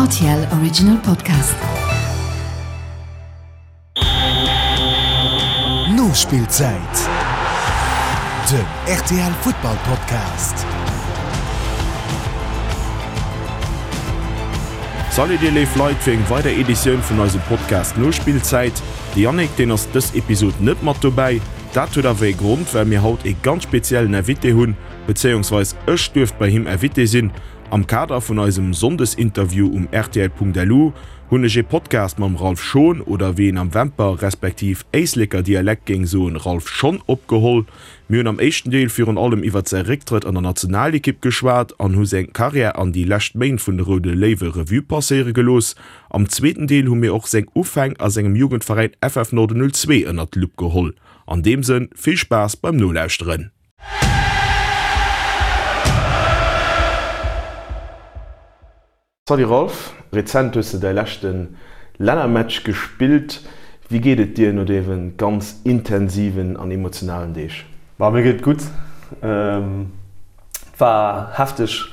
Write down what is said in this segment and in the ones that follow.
RTL Original Podcast. Nospillzäit, den rtl Futtball Podcast. Salut dir léif Leit fir eng weider Editioun vun eisem Podcast Nospillzäit. De Yannick deen ass dës Episod net mat dobäi. Dat huet awer ee Grond, well mir haut ee ganz speziellen Invité hunn, bezéiungsweis ech duerft bei him Invité sinn. Am Kader vun eisem Sonndesinterview um rtl.lu hunn ech ee Podcast mam Ralph Schon, oder wéi een am Wämper respektiv Éisleker Dialekt géing soen, Ralph Schon, opgeholl. Mir hunn am éischten Deel virun allem iwwert säi Récktrëtt an der Nationalekipp geschwat an hu seng Karriär an déi lescht Méint vun de Roude Léiwe Revue passéiere gelooss. Am zweeten Deel hu mir och seng Ufäng a sengem Jugendveräin FF Norden 02 ënnert d'Lupp geholl. An deem Sënn vill Spaass beim Nolauschteren! Salut Ralph, rezent hues de däi leschte Lännermatch gespillt. Wéi geet et dir no deene ganz intensiven an emotionalen Deeg? Ma mir geet et gutt. Et war hefteg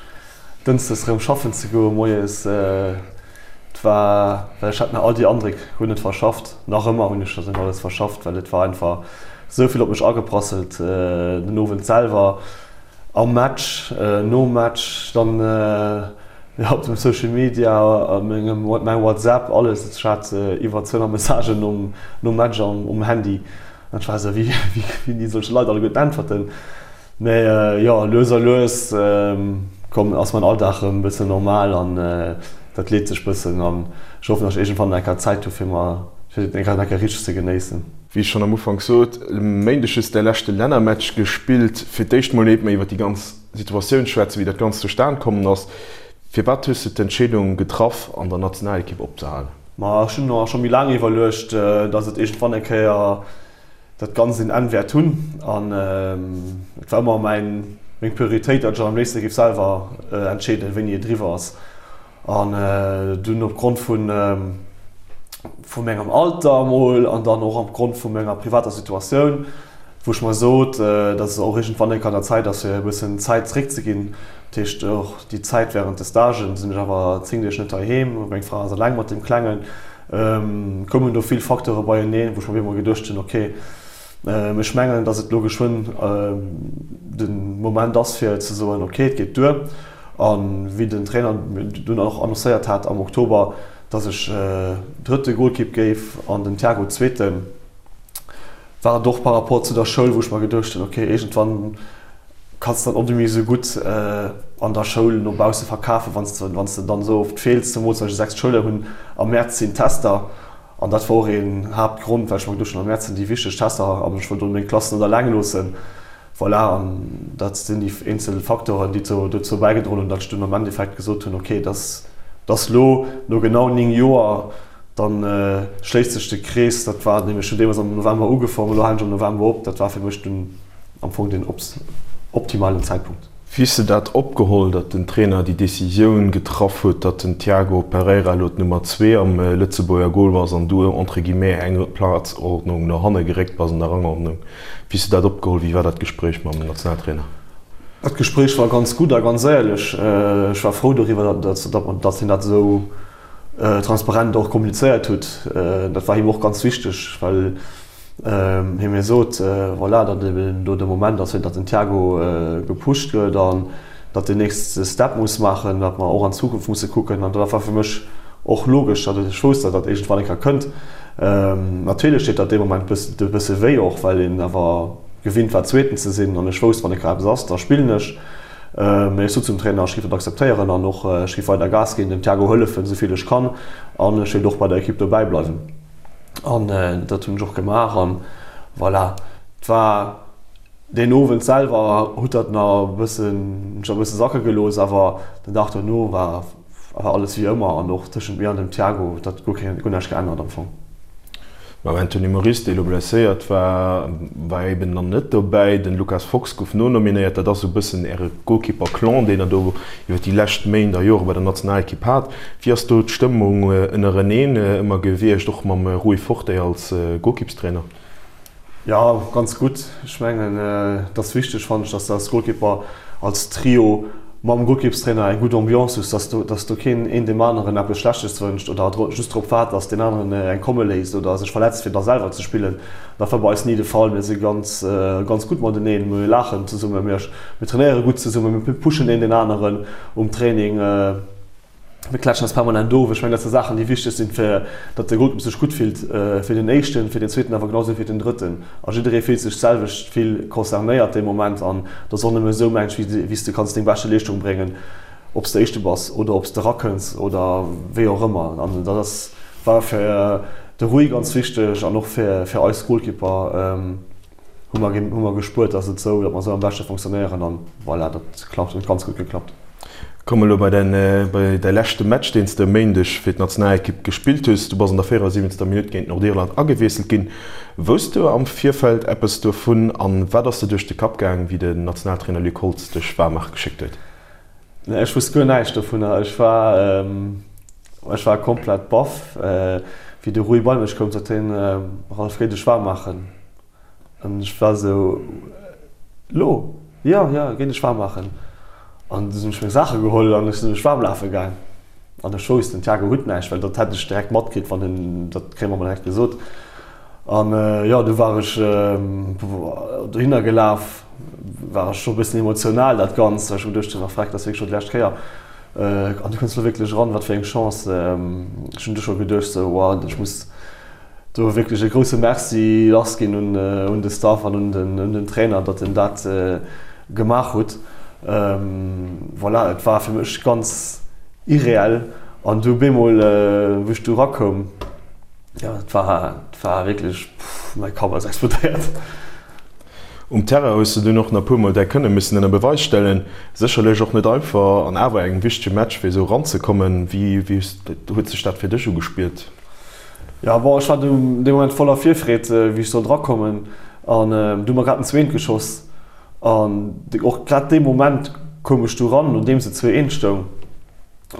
dënschdes erëm schaffen ze goen moies. Et war, well ech hat nach all déi Andréck guer net verschafft. Nach ëmmer hunn ech dat net alles verschafft, well et war einfach esou vill op mech ageprasselt den Owend selwer, am Match, nom Match, dann jo op dem Social Media, a mengem mäi WhatsApp, alles. Ech hat iwwer 200 Messagen nom nom Match um Handy an ech war esou, wéi wéi soll ech de Leit alleguerten äntwerten? Mä jo, lues a lues komm ass mäin Alldag erëm e bëssen normal an dat leet sech bëssen an ech hoffen, datt ech iergendwann eng Kéier Zäit hu fir mer fir et eng Kéier richteg ze genéissen. Wéi ech schonn am Ufank sot, e Méindeg hues de däi leschte Lännermatch gespillt. Fir d'éischt mol éiert mer iwwer déi ganz Situatioun schwätzen, wéi dat Ganzt zustan kommen ass, firwat hues de d'Entscheedung getraff an der Nationalekipp opzehalen? Ma ech hunn mer scho méi laang iwwerluecht, datt et iergendwann eng Kéier dat Ganzt een Enn wäert hunn an et war ëmmer mäin, meng Prioritéit, datt ech am léifste géif selwer entscheeden, wéini et eriwwer ass. An dunn opgrond vun, vu mengem Alter emol an dann och opgrond vu menger privater Situatioun, wou ech mer sot, datt et och iergendwann eng Kéier an der Zäit ass, fir e bëssen Zäit zeréckzeginn. Dat heescht och déi Zäit wärend de Stagen sinn ech awer 10 Deeg net heiheem, meng Fra ass eleng mat deem Klengen. Koumen do vill Facteure beieneen, wou ech mer op eemol geduecht hunn, ok, ech mengen, datt et elo geschwënn de Moment ass, fir ze soen, ok, et geet duer. A wéi den Trainer dunn och annoncéiert hat am Oktober, datt ech drëtte Golkipp géif an den Thiago zweeten, war et och par rapport zu der Schoul, wou ech mer geduecht hunn, ok, iergendwann kanns de dann och net méi esou gutt an der Schoul no bausse verkafen, wann s de wann s de dann esou oft feels, zemools well ech e sechst Schouljoer hunn. Am Mäerz sinn d'Tester an dat war och een Haaptgrond, well ech mer geduecht hunn, am Mäerz sinn déi wichteg Tester an ech wollt do meng Klass net eleng loossen. Voilà, an dat sinn déi eenzel Facteuren, déi dozou bäigedroen hunn, datt ech dunn am Endeffekt gesot hunn, ok, dass dass lo no genau 9 Joer, dann schléisst sech de Krees. Dat war nämlech schon deemools am November ugefaangen, elo halen ech am November op. Dat war fir mech dunn am Fong den optimalen Zäitpunkt. Wéi hues de dat opgeholl, datt den Trainer déi Decisioun getraff huet, datt den Tiago Pereira elo d'Nummer zwee am Lëtzebuerger Goal ass an du entre guillemets eng Plazordnung no hanne geréckt bass an der Rangordnung? Wéi hues de dat opgeholl? Wéi war dat Gespréich mam Nationaltrainer? Dat Gespréich war ganz gutt a ganz éierlech. Ech war frou doriwwer, datt hien dat esou transparent och kommunizéiert hutt. Dat war him och ganz wichteg, well hie mir sot, voilà, datt eben do de Moment ass, fir datt den Thiago gepusht gëtt an datt deen nächste Step muss maachen, datt mer och an d'Zukunft musse kucken. An dat war fir mech och logesch, datt ech wousst, datt dat iergendwann eng Kéier kënnt. Natierlech deet dat dee Moment e bësse wéi och, well een awer gewinnt war, Zweeten ze sinn. An ech wousst, wann eng Kéier eppes ass, da spillen ech. Mee ech sot zum Trainer, ech géif dat akzeptéieren an och ech géif weider Gas ginn, dem Thiago hëllefen, esou vill ech kann an ech wéilt och bei der Ekipp dobäi bleiwen. An dat hunn ech och gemaach an voilà. Et war deen Owend selwer huet dat nach e bëssen, hunn ech nach e bësse sacke gelooss, awer den Dag dono war war alles wéi ëmmer an och tëschent mir an dem Thiago huet dat guer keng, guer näischt geännert am Fong. Mam Anthony Moris, dee elo blesséiert war, war eben dann net dobäi. Den Lucas Fox gouf nonominéiert. Dat ass esou e bëssen äre Golkipper-Clan, deen der do iwwer déi lescht Méint a Jore bei der Nationalekipp hat. Wéi ass do d'Stëmmung ënnereneen ëmmer gewiescht, och mam Rui Forte als Golkippstrainer? Jo, ganz gutt. Ech mengen, et ass wichteg, fannen ech, dass de als Golkipper, als Trio. Mam Golkippstrainer eng gutt Ambiance hues, dass do, dass do keen een deem aneren eppes Schlechtes wënscht oder just drop waart, dass deen aneren eng komme léisst oder sech verletzt fir da selwer ze spillen. Dat war bei eis ni de Fall. Mir si ganz, ganz gutt mateneen, mir laachen zesummen, mir, mir trainéiere gutt zesummen, mir pushen een deen aneren um Training. Mir klätschen eis permanent of. Ech mengen, dat si Saachen, déi wichteg sinn, fir datt de Golkipp sech gutt fillt, fir den éischten, fir den zweeten, awer genau esou fir den drëtten. A jidderee fillt sech d'selwecht vill concernéiert dee Moment. An et ass och nëmme esou, mengen ech, wéi s de kanns deng beschte Leeschtung bréngen, ob s de Éischte bass oder ob s de erakënns oder wéi och ëmmer. An dat ass, war fir de Rui ganz wichteg an och fir eis Golkipper. Hu mer, hu mer gespuert, dass et esou, datt mer esou am beschte fonctionnéieren an voilà, dat klappt, huet ganz gutt geklappt. Komme elo bei däin, bei däi leschte Match, deen s de e Méindeg fir d'Nationalekipp gespillt hues. Du bass an der 74. Minutt géint Nordirland agewiesselt ginn. Wousst du am Virfeld eppes dovun an wat ass der duerch de Kapp gaang, wéi den Nationaltrainer Luc Holtz dech waarm maache geschéckt huet? Nee, ech wusst guer näischt dovunner. Ech war, ech war komplett baff, wéi de Rui bei mech koum, sot hien, Ralph, géi dech waarm maachen. An ech war esou, Lo? Jo, jo, géi dech waarm maachen. An du hunn ech meng Saache geholl an ech sinn mech waarm lafe gaang. An ech wousst, den Thiago huet näischt, well dat hätt ech direkt matkritt, wann en, dat kréie mer emol direkt gesot. An jo, du war ech dohinner gelaf, war ech scho e bëssen emotional dat Ganzt, well ech hu geduecht hunn, ach freck, dat ass wierklech scho déi lescht Kéier. An du kënns lo wierklech eran, wat fir eng Chance. Ech hunn du scho geduecht sou, wow, ech muss do wierklech e grousse Merci lass ginn un de Staff an un den Trainer, datt en dat gemaach hutt. Voilà, et war fir mech ganz irreell an du bemol, wou ech du erakoum, jo, et war, et war wierklech, mäi Kapp ass explodéiert. Um Terrain hues de dunn och nach puer Mol däi Kënne missen ënner Beweis stellen. Sécherlech och net einfach an awer engem wichtege Match fir esou eranzekommen. Wéi huet sech dat fir dech ugespiert? Jo bon, ech war dee Moment voller Virfreed wéi ech sollt erakommen an du hu mer grad den zweent geschoss an och grad dee Moment koum ech du ran nodeems et 2, 1 stoung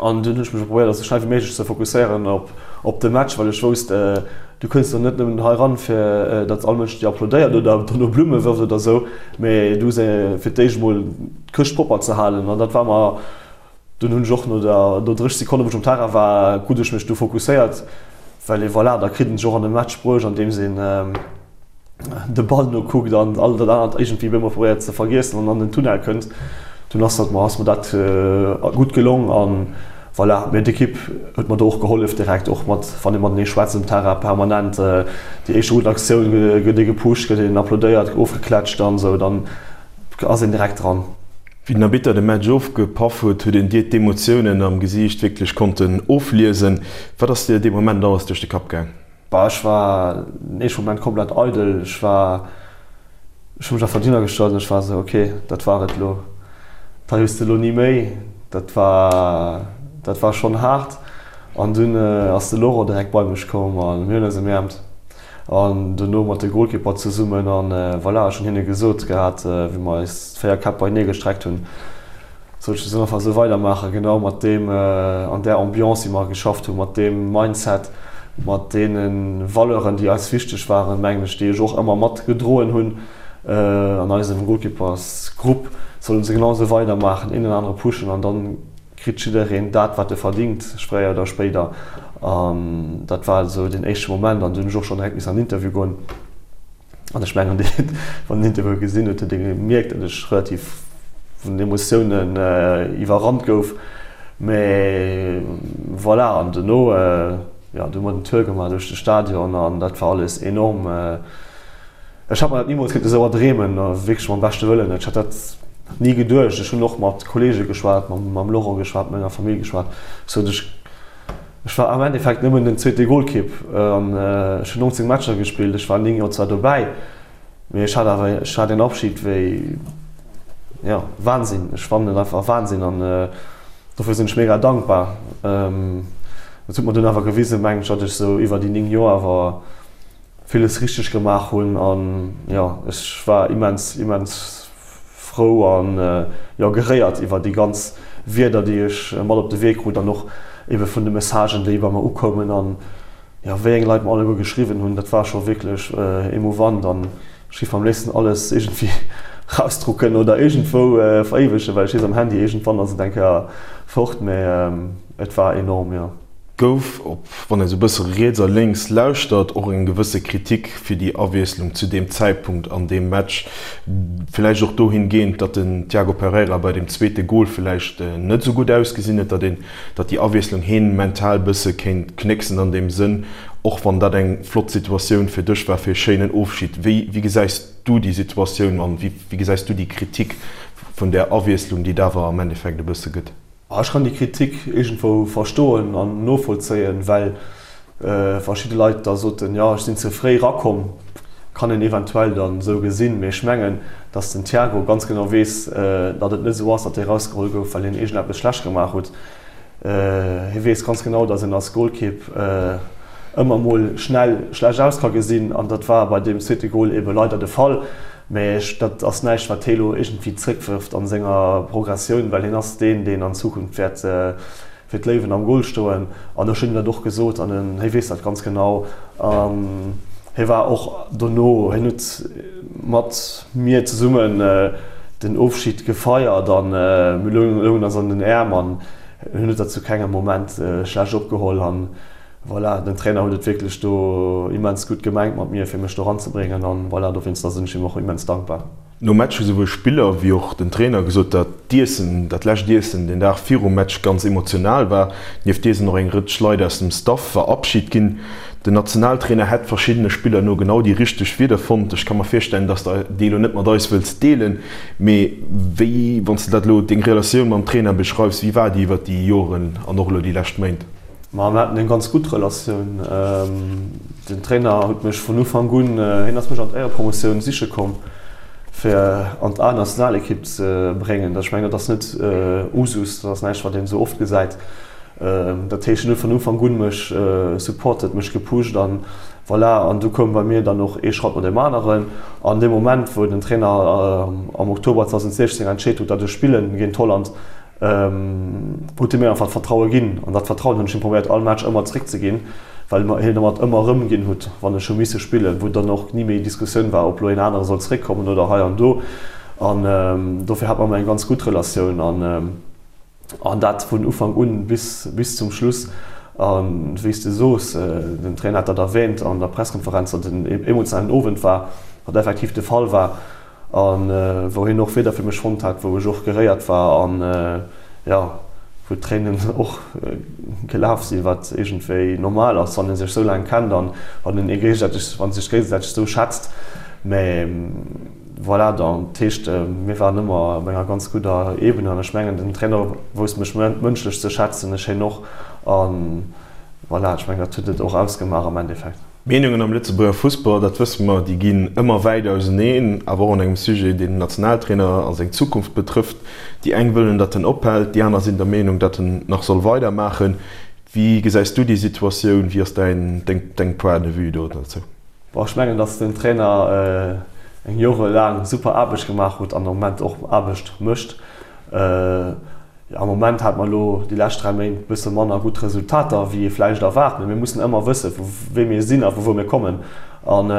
an dunn hunn ech mech probéiert esou schnell wéi méiglech ze fokusséieren op op de Match, well ech wousst du kënns do net nëmmen hei ran fir datt all Mënsch dir applaudéiert oder dono Blumme wërft oder esou, mee du hues fir d'éischt emol d'Këscht propper ze halen an dat war mer Dunn hunn ech och no der no 30 Sekonnen, wou ech um Terrain war, krut ech mech du fokusséiert, well ee voilà, da kritt een sech och an de Match bruecht, andeems een de Ball nokuckt an all dat anert iergendwéi op eemol probéiert ze vergiessen an an den Tunnel kënnt. Dunn ass dat mer ass mer dat gutt gelong an voilà. Mee d'Ekipp huet mer do och gehollef direkt, och mat wann ee matenee schwätzt um Terrain permanent déi éischt gutt Aktioun gëtt ee gepusht, gëtt een applaudéiert, ofgeklatscht an esou, dann ass een direkt dran. Wéi den Arbitter de Match ofgepaff huet, huet een dir d'Emotiounen am Gesiicht wierklech konnten ofliesen. Wat ass dir dee Moment alles duerch de Kapp gaang? Bah, ech war den éischte Moment komplett eidel. Ech war, ech hu mech einfach dohinner gestallt an ech war esou, ok, dat war et elo, dat hues de elo ni méi. Dat war, dat war schonn haart. An dunn ass de Laurent direkt bei mech komm a mir hunn eis ëmäermt. An dono mat de Golkipper zesummen an voilà, ech hunn hinne gesot gehat, wéi mer eis 4 Käpp beienee gestreckt hunn, sollt ech einfach esou weidermaachen, genau mat deem, an där Ambiance wéi mer geschafft hunn, mat deem Mindset, mat deene Valeuren, déi eis wichteg waren, mengen ech, déi ech och ëmmer mat gedroen hunn an eisem Golkippersgrupp, sollen se genau esou weidermaachen, een den anere pushen an dann kritt jiddereen dat, wat e verdingt, fréier oder spéider. An dat war esou deen éischte Moment. An dunn hunn ech och schonn direkt missen an den Interview goen. An ech mengen, wann den Interview gesinn huet, huet ee gemierkt, datt ech relativ vun den Emotiounen iwwerrannt gouf. Mä voilà, an dono, jo, du hu mer den Tour gemaach duerch de Stadion an dat war alles enorm. Ech hat mer dat nimools kéinte sou erdreemen, wierklech mam beschte Wëllen net. Ech hat dat ni geduecht. Ech hunn och mat Kollege geschwat, mam Laurent geschwat, mat menger Famill geschwat. Ech sot, ech, ech war am Endeffekt nëmmen den zweete Golkipp an ech hunn 19 Matcher gespillt. Ech war 9 Joer zwar dobäi, mee ech hat awer, ech hat een Abschied wéi, jo, Wahnsinn. Ech fannen et einfach Wahnsinn an dofir sinn ech mega dankbar. Et huet mer dunn awer gewisen, mengen ech, datt ech sou iwwer déi 9 Joer awer villes richteg gemaach hunn an jo ech war immens immens frou an jo geréiert iwwer déi ganz Wierder déi ech mat op de Wee krut an och ebe vun de Messagen déi bei mer ukoumen an jo wéi eng Leit mer alleguer geschriwwen hunn, dat war scho wierklech emouvant an ech géif am léifsten alles iergendwéi. rausdrucken oder iergendwou veréiwegen, well ech weess am Handy iergendwann ass et eng Kéier fort, mä et war enorm, jo. Gouf, op wann ee sou bësse riets a lénks lauschtert, och eng gewësse Kritik fir déi Awiesslung zu deem Zäitpunkt an deem Match. Villäicht och dohin gehend, datt den Tiago Pereira bei deem zweete Gol villäicht net sou gutt ausgesinn huet, datt een, datt déi Awiesslung heen mental bësse kéint knécksen an deem Sënn, och wann dat eng flott Situatioun fir dech war, fir e schéinen Ofschid. Wéi, wéi gesäis du déi Situatioun an wéi, wéi gesäis du déi Kritik vun där Awiesslung, déi et awer am Endeffekt e bësse gëtt? Ech kann déi Kritik iergendwou verstoen an novollzéien, well verschidde Leit da soten, jo ech sinn ze fréi rakomm. Kann een eventuell dann esou gesinn, mee ech mengen, datt den Thiago ganz genau weess, datt et net esou ass, datt hie rausgeholl gouf, well hien iergendeppes schlecht gemaach hutt. Hie weess ganz genau, datt een als Golkipp ëmmer mol schnell schlecht aus ka gesinn an dat war bei deem zweete Gol ebe leider de Fall. Mä dat ass näischt, wat hie lo iergendwéi zréckwërft a senger Progressioun, well hien ass deen, deen an Zukunft wäert fir d'Léiwen am Gol stoen. An ech hunn him dat och gesot an hie weess dat ganz genau. An hie war och dono, hien huet mat mir zesummen den Ofschid gefeiert a mir loungen eis an den Äerm an hien huet dat zu kengem Moment schlecht opgeholl. An Voilà, den Trainer huet et wierklech do immens gutt gemengt mat mir, fir mech do ranzebréngen an voilà, dowéinster sinn ech him och immens dankbar. Nom Match hu souwuel Spiller wéi och den Trainer gesot, datt d'Iessen, dat lescht Iessen den Dag virum Match ganz emotional war. Nieft dir sinn och eng Rëtsch Leit aus dem Staff verabschit ginn. Den Nationaltrainer hätt verschiddene Spiller no genau déi richteg Wieder fonnt. Ech ka mer virstellen, datt de déi elo net mat eis wëlls deelen, mee wéi, wann s de dat elo, deng Relatioun mam Trainer beschreifs, wéi war déi iwwert déi Joren an och elo déi lescht Méint? Ma mir haten eng ganz gutt Relatioun. Den Trainer huet mech vun Ufank un, hien ass mech an d'Éierepromotioun siche komm, fir an d'A-Nationalekipp ze bréngen. Ech mengen, dat ass net Usus, dat ass näischt, wat een esou oft gesäit. Dat heescht, hien huet vun Ufank un mech supportet, mech gepusht an voilà. An du koum bei mir dann och ee Schratt no deem aneren. An dee Moment, wou den Trainer am Oktober 2016 entscheet huet, datt ech spillen géint Holland, huet hie mir einfach d'Vertraue ginn an dat Vertrauen hunn ech him probéiert all Match ëmmer zréckzeginn, well hien mer et ëmmer erëm ginn hutt, wann ech hu misse spillen, wou dann och ni méi Diskussioun war, ob lo een anere soll zréckkommen oder hei an do. An dofir hat mer ëmmer eng ganz gutt Relatioun an an dat vun Ufank un bis bis zum Schluss. A wéi s de soos, den Trainer hat dat erwähnt an der Presskonferenz, datt et en emotionalen Owend war, wat effektiv de Fall war. A wou hien och Wieder fir mech fonnt hat, wou ech och geréiert war an, jo, wou d'Tréinen och gelaf sinn, wat iergendwéi normal ass, wann ee sech esou laang kennt an wann een ee géigesäiteg, wann ee sech géigesäiteg esou schätzt. Mä voilà, dat heescht, mir waren ëmmer op enger ganz gudder Ebene an ech mengen, den Trainer wousst mech mënschlech ze schätzen, ech hien och. A voilà, ech mengen, dat huet et och ausgemaach am Endeffekt. D'Meenungen am Lëtzebuerger Fussball, dat wësse mer, déi ginn ëmmer wäit auseneen, awer och an engem Sujet, deen den Nationaltrainer a seng Zukunft betrëfft. Déi eng wëllen, datt en ophält, déi aner sinn der Meenung, datt en nach soll weidermaachen. Wéi gesäis du déi Situatioun? Wéi ass däin, deng Point de vue do dozou? Bon, ech mengen, datt den Trainer eng jorelaang super Aarbecht gemaach huet an am Moment och Aarbecht mécht. Am Moment hat mer elo déi lescht 3 Méint e bësse manner gutt Resultater, wéi ee vläicht erwaart. Mee mir mussen ëmmer wëssen, vu wéi mir sinn a vu wou mir kommen. An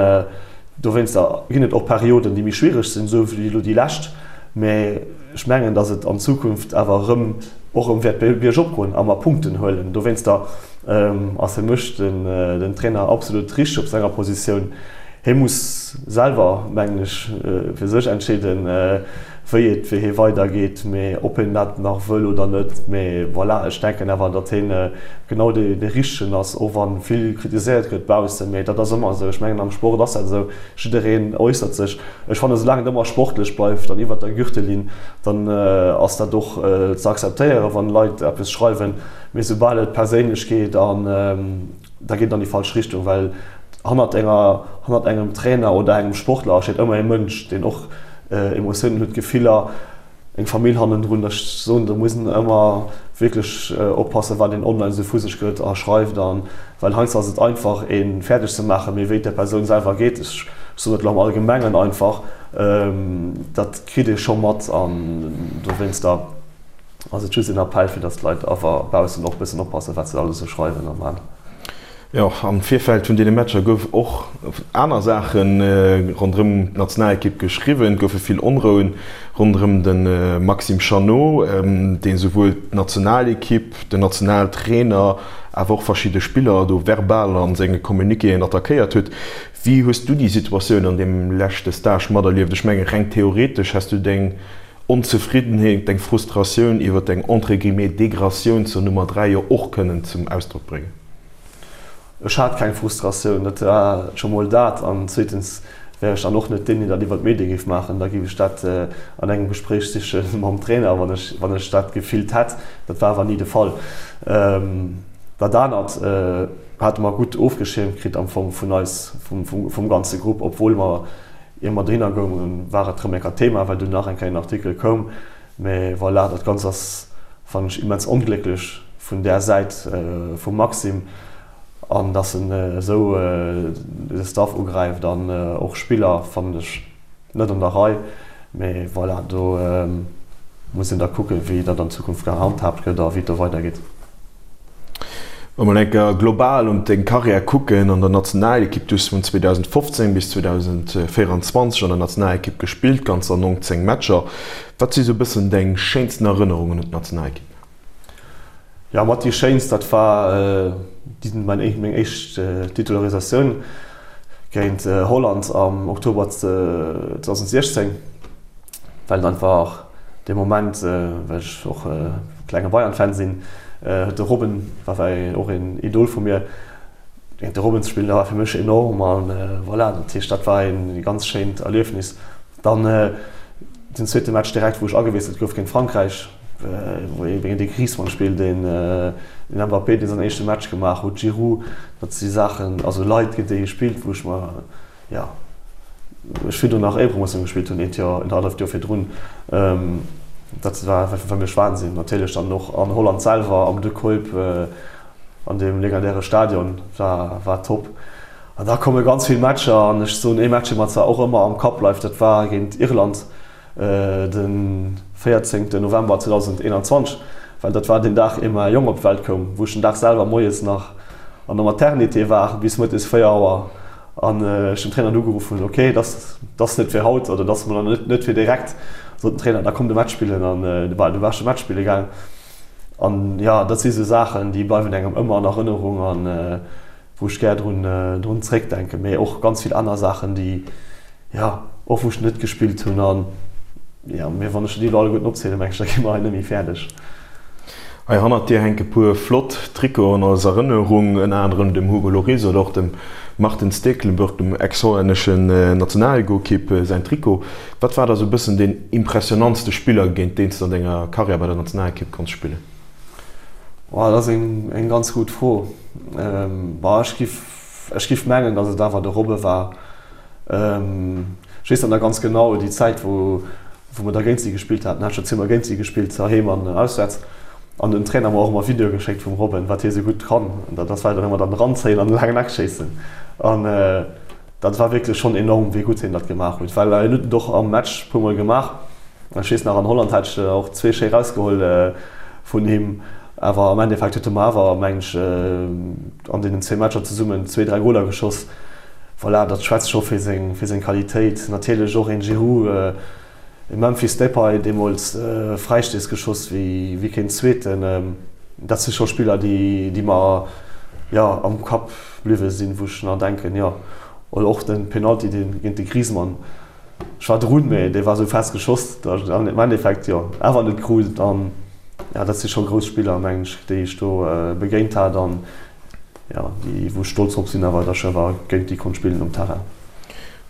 dowéinster ginn et och Perioden, déi méi schwiereg sinn, esou wéi elo déi lescht. Mee ech mengen, datt et an Zukunft awer erëm och erëm wäert biergop goen a mer Punkten huelen. Dowéinster ass fir mech den Trainer absolut richteg op senger Positioun. Hie muss selwer, mengen ech, fir sech entscheeden, wéi et fir hie weidergeet, mee ob hien dat nach wëll oder net. Mee voilà, ech denken awer, datt hien genau dee Richtegen ass, och wa vill kritiséiert gëtt baussen. Mee dat ass ëmmer esou. Ech mengen, am Sport ass dat esou, jiddereen äussert sech. Ech fannen, soulaang et ëmmer sportlech bleift an iwwert der Gürtellinn, dann ass dat och ze akzeptéieren, wann Leit eppes schreiwen. Mee soubal et perséinlech geet an da geet et an déi falsch Richtung, well hannert enger, hannert engem Trainer oder engem Sportler steet ëmmer ee Mënsch, deen och Emotiounen huet, Gefiller, eng Famill hannendrun. Ech soen, do muss een ëmmer wierklech oppassen, wat een online esou vu sech gëtt a schreift an, well heiansdo ass et einfach, ee fäerdeg ze maachen, mee wéi et der Persoun selwer geet, ech soen dat elo am Allgemengen einfach, dat kritt ee scho mat an dowéinster. Ass et just een Appell fir dass d'Leit awer baussen och bëssen oppassen wat se alles sou schreiwen a man. Jo, am Virfeld vun deene Matcher gouf och aner Saache ronderëm d'Nationalekipp geschriwwen. Et goufe vill Onrouen ronderëm de Maxime Chanot, dee souwuel d'Nationalekipp, den Nationaltrainer, awer och verschidde Spiller do verbal a senge Communiquéen attackéiert huet. Wéi hues du déi Situatioun an deem leschte Stage materlieft? Ech menge reng theoretesch häss du deng Onzefriddenheet, deng Frustratioun iwwer deng entre guillemets Degratioun zur Nummer 3 jo och kënnen zum Ausdrock bréngen. Ech hat keng Frustratioun, dat war scho mol dat. An zweetens wär ech dann och net deen, deen dat iwwer d'Medie géif maachen. Da géif ech dat an engem Gespréich siche mam Trainer, wann ech, wann ech dat gefillt hätt. Dat war awer ni de Fall. Dat anert hate mer gutt ofgeschiermt kritt am Fong vun eis, vum, vum ganze Grupp, obwuel mer, ier mer dohinner goungen, war et rëm eng Kéier Thema, well dunn nach eng Kéier en Artikel koum. Mee voilà, dat Ganzt ass, fannen ech, immens onglécklech vun där Säit vum Maxime, an dass en esou de Staff ugräift an och Spiller, fannen ech net an der Rei. Mee voilà, do muss een da kucken, wéi dat an Zukunft gehandhaabt gëtt a wéi et do weidergeet. Wa mer eng Kéier global un deng Karriär kucken an der Nationalekipp, du hues vun 2015 bis 2024 an der Nationalekipp gespillt, ganzer 19 Matcher. Wat si sou e bëssen deng schéinsten Erënnerungen un d'Nationalekipp? Jo, mat déi schéinst, dat war meng éischt Titularisatioun géint Holland am Oktober 2016. Well et einfach dee Moment, well ech och e klenge Bayern-Fan sinn, huet de Robben, war och een Idol vu mir, géint de Robben ze spillen, dat war fir mech enorm an voilà, dat heescht, dat war ee ganz schéint Erliefnis. Dann den zweete Match direkt, wou ech agewiesselt gouf géint Frankräich, wou ee géint de Griezmann spillt, deen den Mbappé, dee säin éischte Match gemaach huet, Giroud, dat si Saachen, also Leit, géint déi ee spillt, wou ech mer Jo, ech virdrun nach Éierepromotioun gespillt hunn, eent Joer, en halleft Joer virdrun. Dat war fir mech Wahnsinn. Natierlech dann och an Holland selwer, am De Kuip, an deem legendäre Stadion, war, war top. An da komme ganz vill Matcher an ech soen, ee Match, dee mer zwar och ëmmer am Kapp bleift, dat war géint Irland de 14 November 2021, well dat war deen Dag, ier mäi Jong op d'Welt koum, wou ech den Dag selwer moies nach an der Maternité war bis mëttes 4 Auer an ech den Trainer ugeruff hunn, ok, dat ass net fir haut oder dat ass mol net fir direkt, sot den Trainer, da komm de Match spillen an du war ech de Match spille gaang. An jo, dat si sou Saachen, déi bleiwen engem ëmmer an Erënnerung an wou ech gär drun drun zréckdenken, mee och ganz vill aner Saachen, déi, jo, och wou ech net gespillt hunn an, jo, mee wann ech déi elo alleguerten opzielen, meng ech, da gi mer hei net méi fäerdeg. Hei hannert dir hänke puer flott Trikoten als Erënnerung, ënner anerem dem Hugo Lloris oder och dem Marten Stekelenburg, dem ex-hollänneschen Nationalgoalkeep, säin Trikot. Wat war da sou e bëssen deen impressionantste Spiller, géint deen s de an denger Karriär bei der Nationalekipp konns spillen? Oh, dat ass eng ganz gutt Fro. Bah, ech giff, ech giff mengen, datt et awer de Robbe war. Ech weess net nach ganz genau déi Zäit, wou, wou mer da géint si gespillt haten. Hat scho zweemol géint si gespillt, heiheem an auswäerts. An den Trainer mer och ëmmer Videoe geschéckt vum Robben, wat hie sou gutt kann. An dat war dann ëmmer dann eranzéien an de laangen Eck schéissen. An dat war wierklech schonn enorm, wéi gutt hien dat gemaach huet, well hien huet et och am Match e puermol gemaach. Ech weess nach, an Holland hat ech och zwee schéi rausgeholl vun him. Awer am Endeffekt huet e mer awer, mengen ech, an deenen zwee Matcher zesummen zwee, dräi Goler geschoss. Voilà, dat schwätzt scho fir seng, fir seng Qualitéit. Natierlech och een Giroud, e Memphis Depay, deemools Fräistéiss geschoss wéi, wéi keen Zweeten. Dat si scho Spiller, déi, déi mer, jo, am Kapp bliwwe sinn, wou ech nach denken, jo. Oder och de Penalty, dee géint de Griezmann. Ech war drun, mee dee war sou fest geschoss, datt ech en am Endeffekt jo awer net krut. An jo, dat si scho grouss Spiller, mengen ech, déi ech do begéint hat an jo, déi wou ech stolz drop sinn awer, datt ech awer géint déi konnt spillen um Terrain.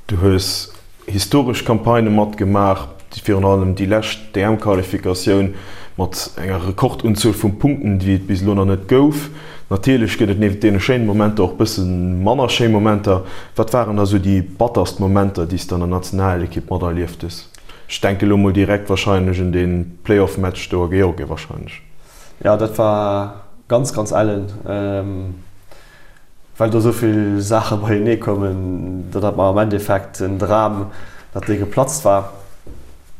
Du hues historesch Campagnë matgemaach, virun allem déi lescht DM-Qualifikatioun mat enger Rekordunzuel vu Punkten, déi et bis elo nach net gouf. Natierlech gëtt et nieft deene schéine Momenter och bësse manner schéi Momenter. Wat waren da sou déi batterst Momenter, déi s de an der Nationalekipp materlieft hues? Ech denke lo mol direkt warscheinlech un dee Playoff-Match do a Georgien warscheinlech. Jo, dat war ganz, ganz ellen, well do sou vill Saache beienee koumen, datt mer am Endeffekt en Dram, datt dee geplatzt war.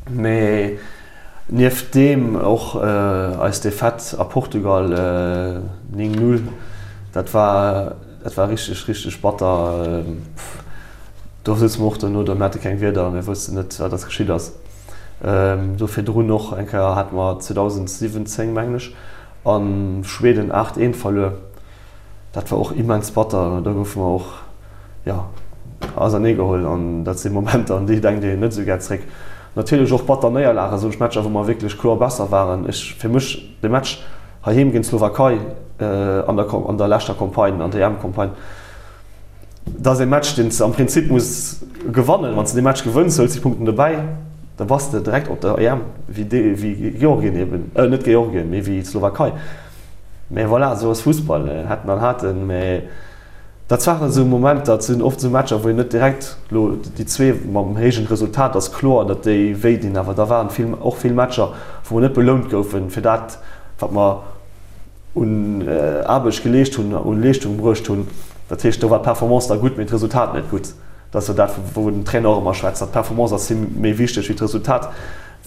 Mee Nieft deem och eis Defaite a Portugal 9, 0, dat war. Dat war richteg, richteg batter. Do souze mer och dono do, mir hate keng Wierder, mir woussten net, wat eis geschitt ass. Do virdrun och eng Kéier hate mer 2017, mengen ech, a Schweden 8, 1 verluer. Dat war och immens batter. Do goufe mer och, jo, auserneegeholl. An dat si Momenter, un déi denkt een net esou gär zréck. Natierlech och batter Néierlagen, soen ech, Matcher, wou mer wierklech kloer besser waren. Ech, fir mech, de Match heiheem géint d'Slowakei an der, an der leschter Campagne, an der EM-Campagne, dat ass ee Match, deen s de am Prinzip muss gewannen. Wann s de dee Match gewënns, huels de Punkten dobäi, da bass de direkt op der EM, wéi dee, wéi Georgien eben, net Georgien, mee wéi d'Slowakei. Mä voilà, esou ass Fussball, hätten an haten. Mä dat waren esou Momenter, dat sinn oft esou Matcher, wou een net direkt elo déi zwee mam héijen Resultat ass kloer, datt déi wéi dinn. Awer da waren vill, och vill Matcher, wou mer net belount goufen fir dat, wat mer un Aarbecht geleescht hunn, un Leeschtung bruecht hunn. Dat heescht, do war d'Performance da gutt, mee d'Resultat net gutt. Dat ass jo dat, wou den Trainer och ëmmer schwätzt, datt d'Performance ass him méi wichteg wéi d'Resultat.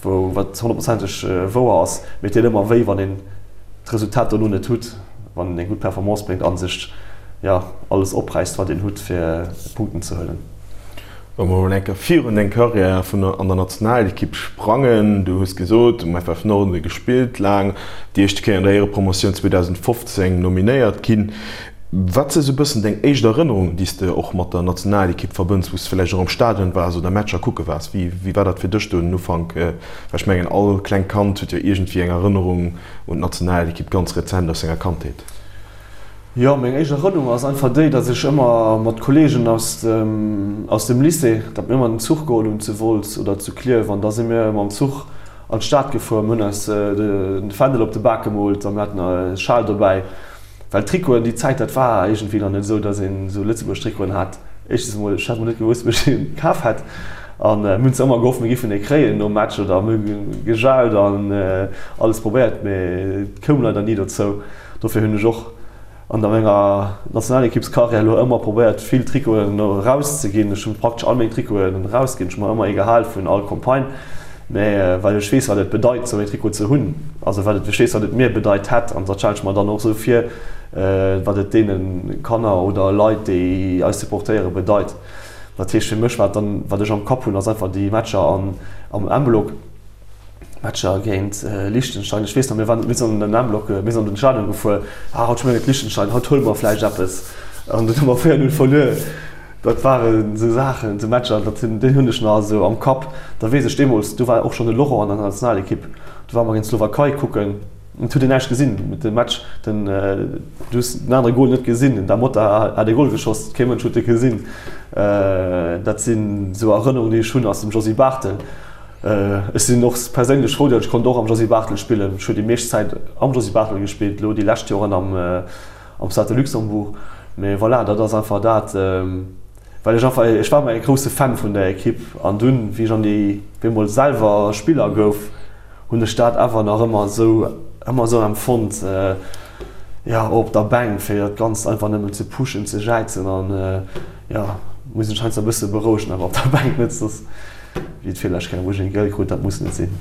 Wou, wat honnertprozenteg wouer ass, mee et deet ëmmer wéi, wann een d'Resultat dono net hutt, wann een eng gutt Performance bréngt a sech, jo, alles opräisst, wat een hutt, fir Punkten ze huelen. Wa mer emol eng Kéier virun deng Karriär vun an der Nationalekipp sprangen, du hues gesot, um FF Norden gespillt laang, déi éischte Kéier an der Éierepromotioun 2015 nominéiert ginn. Wat si sou bëssen deng éischt Erënnerungen, déi s de och mat der Nationalekipp verbënns, wou s de vläicht och am Stadion waars oder Matcher kucke waars? Wéi wéi war dat fir dech do den Ufank? Well ech mengen, all klengt Kand huet jo iergendwéi eng Erënnerung un d'Nationalekipp ganz rezent aus senger Kandheet. Jo, meng éischt Erënnerung ass einfach déi, datt ech ëmmer mat Kolleegen aus dem aus dem Lycée, datt mir ëmmer den Zuch geholl hunn zu Wolz oder zu Klierf an da si mir mam Zuch an d'Stad gefuer. Mir hunn eis de Fändel op de Bak gemoolt a mir haten e Schal dobäi. Well Trikoten déi Zäit, dat war iergendwéi nach net esou, datt een esou Lëtzebuerg Trikoten hat. Éischtens emol, ech hat mol net gewosst, wou ech een kaf hätt. An mir hunn zwar ëmmer gehofft, mir géifen ee kréien nom Match oder mir hu gejaut an alles probéiert, mee et koum leider ni dozou. Dofir hunn ech och an der menger Nationalekippskarriär elo ëmmer probéiert, vill Trikoten erauszeginn. Ech hu praktesch all meng Trikoten erausginn. Ech hu mer ëmmer ee gehal vun all Campagne. Mä well ech weess, wat et bedeit, esou een Trikot ze hunn, also wat et, ech weess, wat et mir bedeit hätt, an dat stelle ech mer dann och esou vir, wat et deene Kanner oder Leit, déi eis supportéieren, bedeit. Dat heescht fir mech, wat dann, wat ech am Kapp hunn, ass einfach déi Matcher an, am M-Block, Matcher géint Liechtenstein. Ech weess nach, mir waren, mir sinn an den M-Block, mir sinn an den Stadion gefuer, ah, haut spille mir géint Liechtenstein, haut huele mer vläicht eppes. An dunn hu mer 4, 0 verluer. Dat waren esou Saachen, esou Matcher, dat sinn, déi hunn ech nach esou am Kapp. Da weess ech deemools, do war och schonn de Laurent an der Nationalekipp, do ware mer géint d'Slowakei kucken, et huet een näischt gesinn, de Match, den, du hues den anere Gol net gesinn, den Da Mota hat ee Gol geschoss, kee Mënsch huet e gesinn. Dat sinn esou Erënnerungen, déi ech hunn aus dem Josy Barthel. Ech sinn och perséinlech frou, datt ech konnt och am Josy Barthel spillen. Ech hu déi meescht Zäit am Josy Barthel gespillt, elo déi lescht Joren am. am Stade de Luxembourg. Mee voilà, dat ass einfach dat, well ech einfach, ech war ëmmer e grousse Fan vun der Ekipp an dunn, wéi ech an déi, wéi emol selwer Spiller gouf, hunn ech dat awer nach ëmmer esou, ëmmer esou empfonnt, jo, op der Bänk, fir dat Ganzt einfach nëmmen ze pushen, ze jäizen an, jo, muss ech heiansdo e bësse berouegen awer op der Bänk, net soss wéi et virlescht Kéier, wou ech eng Gëll krut, dat muss net sinn.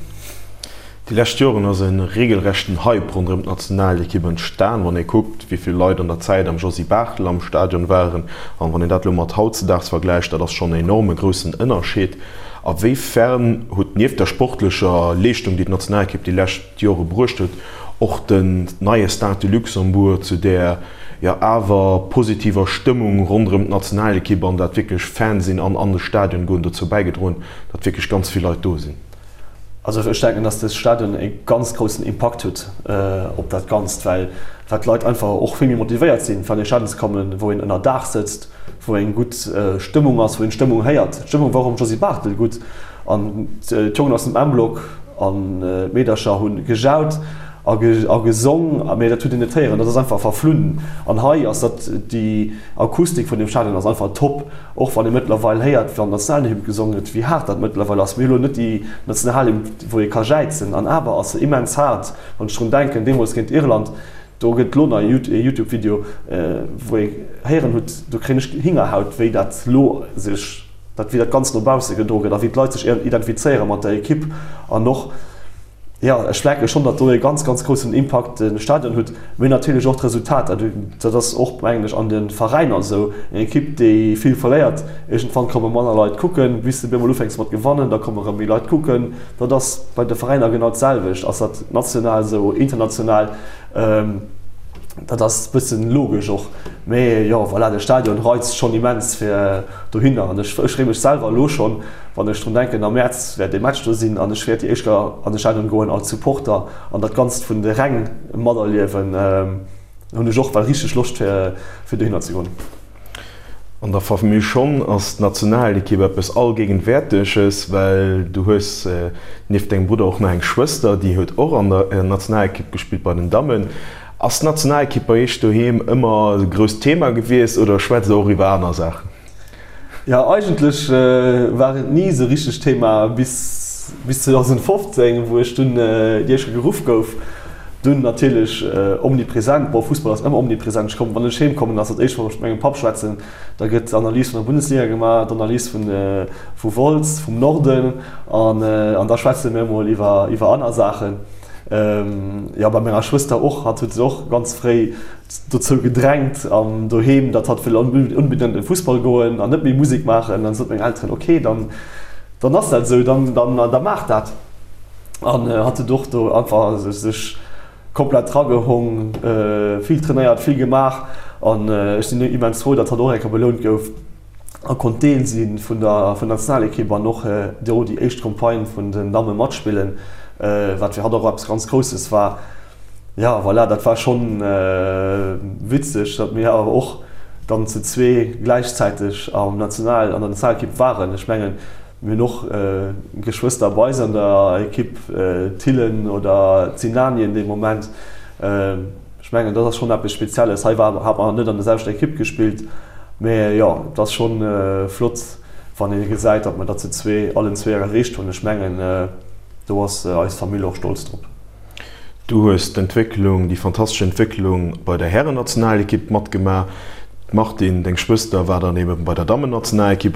Déi lescht Joren ass e regelrechten Hype ronderëm d'Nationalekipp entstan. Wann ee kuckt, wéi vill Leit an der Zäit am Josy Barthel am Stadion waren an wann een dat elo mat hautzedaags vergläicht, dat ass schonn en enorme groussen Ënnerscheed. A wéi fern huet nieft der sportlecher Leeschtung, déi d'Nationalekipp déi lescht Jore bruecht huet, och den neie Stade de Luxembourg zu där jo awer positiver Stëmmung ronderëm d'Nationalekipp an dat wierklech Fan sinn an an de Stadion goen dozou bäigedroen, datt wierklech ganz vill Leit do sinn? Also ech denken, dass de Stadion e ganz groussen Impakt huet op dat Ganzt, well well d'Leit einfach och vill méi motivéiert sinn, fir an ee Stadion ze kommen, wou een ënner Daach sëtzt, wou eng gutt Stëmmung ass, wou een d'Stëmmung héiert. D'Stëmmung war och am Josy Barthel gutt an d'Jongen aus dem M-Block an d'Meedercher hu gejaut a gesong, mee dat huet een net héieren, dat ass einfach verflunn. An hei ass dat, déi Akustik vun deem Stadion ass einfach top. Och wann ee mëttlerweil héiert, wann d'Nationalhymn gesongen gëtt, wéi haart dat mëttlerweil ass. Mir hu lo net déi Nationalhymn, wou ee ka jäizen, an awer ass se immens haart. Wann ech drun denken, deemools géint Irland, do gëtt lo nach e Youtube-Video, wou ee héieren hutt, do kréien ech Hingerhaut, wéi dat lo sech, dat wéi dat Ganzt no bausse gedroe gëtt a wéi d'Leit sech identifizéiere mat der Ekipp an och. Jo, ech merke schonn, datt do e ganz, ganz groussen Impakt de Stadion huet, mee natierlech och d'Resultater. Dat ass och, mengen ech, an de Veräiner esou. Eng Ekipp, déi vill verléiert, iergendwann komme manner Leit kucken, bis de op eemol ufänks mat gewannen, da komme rëm méi Leit kucken. Dat ass bei de Veräiner genau d'selwecht. Ass dat national esou, international? Dat ass e bëssen logesch och. Mee jo, voilà, de Stadion reizt schonn immens fir dohinner. An ech freeë mech selwer elo schonn, wann ech drun denken, am Mäerz wäert ee Match do sinn an ech wäert déi éischt Kéier an de Stadion goen als Supporter an dat Ganzt vun de Räng materliewen, hunn ech och well richteg Loscht fir dohinner ze goen. An der Famill schonn ass d'Nationalekipp eppes Allgegenwäerteges, well du hues nieft dengem Brudder och nach eng Schwëster, déi huet och an der Nationalekipp gespillt bei den Dammen. Ass d'Nationalekipp bei iech doheem ëmmer e grousst Thema gewiescht oder schwätzt der och iwwer aner Saachen? Jo, eigentlech war et ni esou richteg Thema bis bis 2015, wou ech dunn déi éischt Kéier geruff gouf. Dunn natierlech omnipresent, bon Fussball ass ëmmer omnipresent, ech kommen, wann ech heem kommen, ass dat éischt wann ech mat mengem Papp schwätzen, da gëtt d'Analys vun der Bundesliga gemaach, d'Analys vun vu Wolz, vum Norden an an da schwätze mir emol iwwer iwwer aner Saachen. Jo, bei menger Schwëster och, hatt huet sech och ganz fréi dozou gedrängt an doheem, datt hatt wëll onbedéngt an de Fussball goen an net méi Musek maachen. Dann sot meng Elteren, ok, dann, dann ass dat esou, dann, dann, da maach dat. An hatt huet och do einfach sech komplett dragehong, vill trainéiert, vill gemaach an ech sinn immens frou, datt hatt och eng Kéier belount gouf. a konnt Deel si vun der Nationalekipp an och do déi éischt Campagne vun den Damme matspillen, wat fir hatt och eppes ganz Grousses war. Jo, voilà, dat war schonn witzeg, datt mir awer och dann zu zwee gläichzäiteg am National, an der Nationalekipp waren. Ech mengen, mir hunn och Geschwëster bei eis an der Ekipp, d'Thillen oder d'Sinanien dee Moment. Ech mengen, dat ass schonn eppes Spezielles. Hei war, hat mer net an der selwechter Ekipp gespillt, mä jo, et ass schonn flott, wann ee gesäit, datt mer dat zu zwee, allen zwee erreecht hunn. Ech mengen, do ass eis Famill och stolz drop. Du hues d'Entwécklung, déi fantastesch Entwécklung bei der Härennationalekipp matgemaach. D'Martine, deng Schwëster, war dann ebe bei der Dammennationalekipp.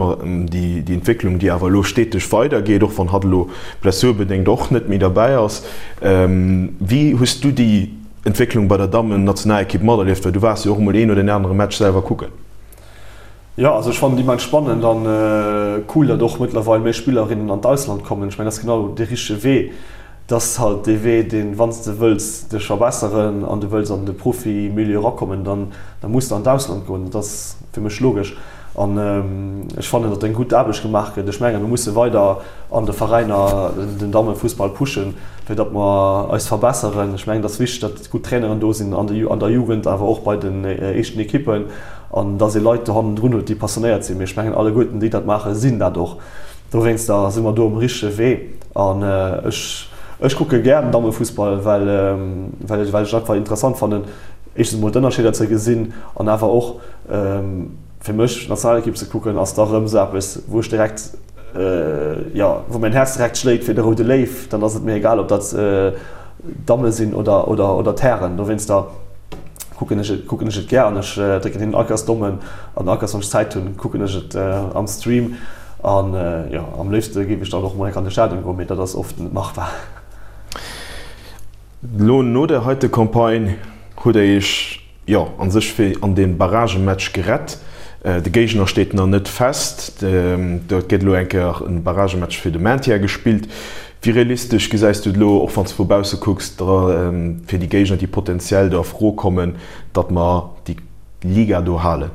Déi Entwécklung, déi awer elo steteg weidergeet, och wann hatt elo blessurbedéngt och net méi derbäi ass. Wéi hues du déi Entwécklung bei der Dammen-Nationalekipp materlieft? Well du waars jo och emol een oder deen anere Match selwer kucken. Jo, also ech fannen et immens spannend an cool, datt och mëttlerweil méi Spillerinnen an d'Ausland kommen. Ech mengen, dat ass genau dee richtege Wee. Dat ass halt dee Wee, deen, wann s de wëlls dech verbesseren an du wëlls an de Profi-Milieu erakommen, dann da muss de an d'Ausland goen. Dat ass fir mech logesch. An ech fannen, datt eng gutt Aarbecht gemaach gëtt. Ech mengen, mir musse weider an de Veräiner den Dammefussball pushen, fir datt mer eis verbesseren. Ech mengen, et ass wichteg, datt gutt Traineren do sinn an der Jugend, awer och bei den éischten Ekippen, an datt ee Leit do hannendrun huet, déi passionéiert sinn. Mee ech mengen, alleguerten, déi dat maachen, sinn dat och. Dowéinster si mer do um richtege Wee. An ech, ech kucke gär den Dammefussball, well, well ech et einfach interessant fannen, éischtens emol d'Ënnerscheeder ze gesinn an awer och, Fir mech Nationalekipp ze kucken ass da rëm sou eppes wou ech direkt, jo wou mäin Häerz direkt schléit fir de Roude Léiw. Dann ass et mir egal ob dat d'Damme sinn oder oder oder d'Hären. Dowéinster kucken ech et kucken ech et gär an ech drécken hinnen all Kéiers d'Dommen an all Kéiers wann ech Zäit hunn kucken ech et am Stream an jo am léifste géif ech dann och mol enk an de Stadion goen, mee dat ass oft net machbar. Elo no der heite Campagne hutt der iech jo, an sech fir an dee Barragematch gerett. De Géigner steet nach net fest. Do gëtt elo eng Kéier e Barragematch fir de Maintien gespillt. Wéi realistesch gesäis du et elo, och wann s de vu bausse kucks, fir déi Géigner, déi potenziell do a Fro kommen, datt mer déi Liga do halen?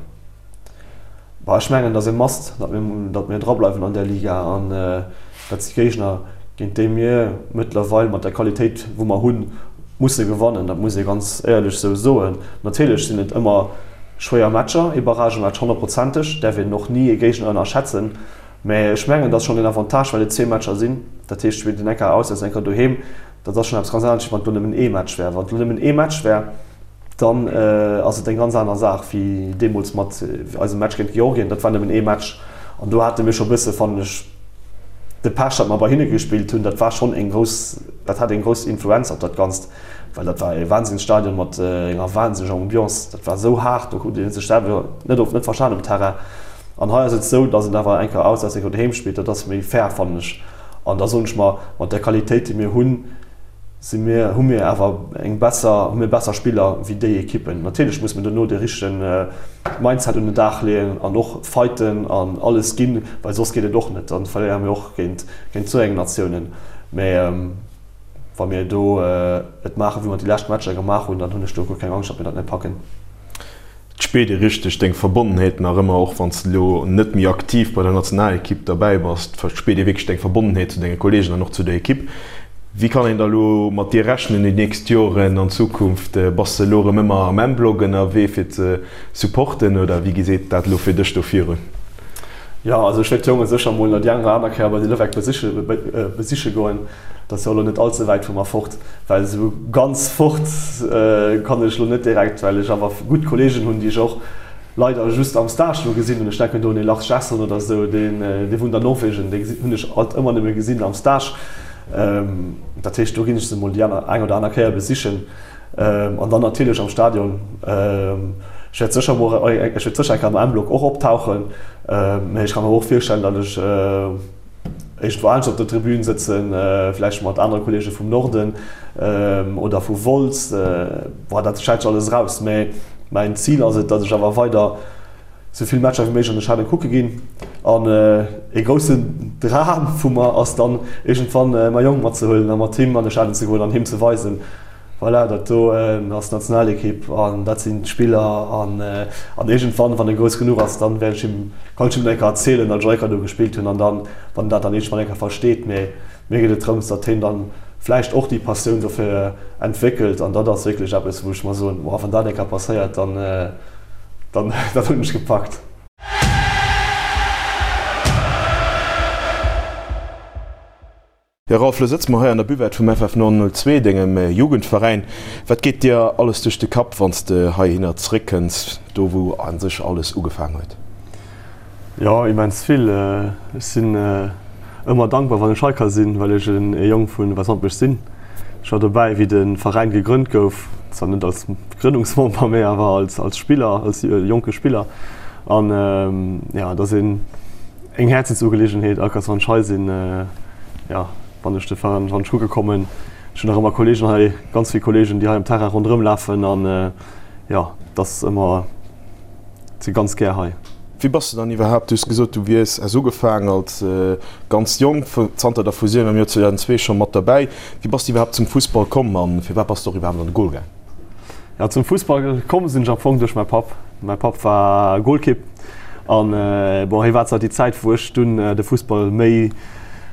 Bah, ech mengen, et ass e Must, datt mir, datt mir drableiwen an där Liga. An dat si Géigner, géint déi mir mëttlerweil mat der Qualitéit, wou mer hunn, musse gewannen. Dat muss ee ganz éierlech esou soen. Natierlech sinn et ëmmer schwéier Matcher, ee Barragematch honnertprozenteg, däerf een och ni ee Géigner ënnerschätzen. Mä ech mengen, et ass schonn een Avantage, well et zwee Matcher sinn. Dat heescht, spillt een eng Kéier auswäerts, eng Kéier doheem. Dat ass schonn eppes ganz anescht, wéi wann et elo nëmmen ee Match wär. Wann et elo nëmmen ee Match wär, Dann ass et eng ganz aner Saach wéi deemools mat eisem Match géint Georgien. Dat war nëmmen ee Match an do hate mir scho bësse, fannen ech, de Pech, datt mer bei hinne gespillt hunn. Dat war schonn eng grouss, dat hat eng grouss Influenz op dat Ganzt, well dat war e Wahnsinnsstadion mat enger wahnsinneger Ambiance. Dat war esou haart, do huet ee sech selwer net oft net verstan um Terrain. An hei ass et esou, datt een awer eng Kéier auswäerts, eng Kéier doheem spillt. Dat ass méi fair, fannen ech. An da soen ech mer, mat där Qualitéit, déi mir hunn. Si mir, hu mir awer eng besser, hu mir besser Spiller wéi déi Ekippen. Natierlech muss mir dono dee richtege Mindset un den Dag leeën an och fighten an alles ginn, well soss geet et och net. Dann verléiere mir och géint, géint esou eng Natiounen. Mä wa mir do et maachen, wéi mer déi lescht Matcher gemaach hunn, dann hunn ech do guer keng Angscht, datt mir dat net packen. Et spiert ee richteg deng Verbonnenheet nach ëmmer, och wann s de elo net méi aktiv bei der Nationalekipp derbäi bass, spiert ee wierklech deng Verbonnenheet zu denge Kolleegen an och zu der Ekipp. Wéi kann een da elo mat dir rechnen déi nächst Joren an Zukunft? Bass de elo erëm ëmmer am M-Block ënnerwee fir ze supporten oder wéi geséit dat elo fir dech do virun? Jo, also ech wäert d'Jonge sécher mol nach déi eng oder aner Kéier bei de Levecq besiche goen. Dat ass jo elo net all ze wäit vu mer fort, well esou ganz fort kann ech elo net direkt, well ech awer gutt Kolleegen hunn, déi ech och leider just am Stage elo gesinn hunn. Ech denken do un ee Lars Gerson oder esou, deen dee wunnt an Norwegen, dee hunn ech alt ëmmer nëmme gesinn am Stage. Dat heescht, do ginn ech se mol déi aner eng oder aner Kéier besichen an dann natierlech am Stadion. Ech wäert sécher mol, ech wäert sécher eng Kéier am M-Block och optauchen, mä ech ka mer och virstellen, datt ech, Iergendwou anescht op der Tribün sëtzen, vläicht mat anere Kolleege vum Norden oder vu Wolz, boah, dat schält sech alles eraus. Mä mäin Zil ass et, datt ech awer weider sou vill Matcher wéi méiglech an de Stadionen kucke ginn. An ee groussen Dram vu mer ass dann iergendwann mäi Jong matzehuelen a mat him an de Stadion ze goen an him ze weisen, Voilà, dat do ass d'Nationalekipp an dat sinn d'Spiller an an iergendwann, wann e grouss genuch ass, dann wäert ech him, kann ech him dann eng Kéier erzielen, datt ech och eng Kéier do gespillt hunn an dann, wann en dat dann iergendwann eng Kéier versteet. Mee mir geet et drëms, datt hien dann vläicht och déi Passioun dofir entwéckelt an dat ass wierklech eppes, wou ech mer soen, Boah, wann dat eng Kéier passéiert, dann, dann, dann hunn ech gepackt. Jo Ralph, lo sëtze mer hei an der Buvette vum FF 902, dengem Jugendveräin. Wat geet dir alles duerch de Kapp, wann s de heihinner zeréckkënns, do wou a sech alles ugefaang huet? Jo, immens vill. Ech sinn ëmmer dankbar, wann ech hei ka sinn, well ech e Jong vu Wäiswampech sinn. Ech war dobäi, wéi de Veräin gegrënnt gouf, zwar net als Grënnungsmember, mä awer als Spiller, als jonke Spiller. An jo, et ass een. Eng Häerzensugelegenheet, all Kéiers wann ech hei sinn, jo, wann ech de Veräin, wann ech kucke kommen. Ech hunn nach ëmmer Kolleegen hei, ganz vill Kolleegen, déi hei am Terrain ronderëm lafen an jo, et ass ëmmer, si ganz gär hei. Wéi bass de dann iwwerhaapt, du hues gesot, du wiers, has ugefaang als ganz jonk, zanter der Fusioun am Joer 2002 scho mat derbäi. Wéi bass de iwwerhaapt zum Fussball komm an firwat bass de och iwwerhaapt an de Goal gaang? Jo, zum Fussball komm sinn ech am Fong duerch mäi Papp. Mäi Papp war Golkipp an bon, hie war zwar déi Zäit wou ech dunn de Fussball méi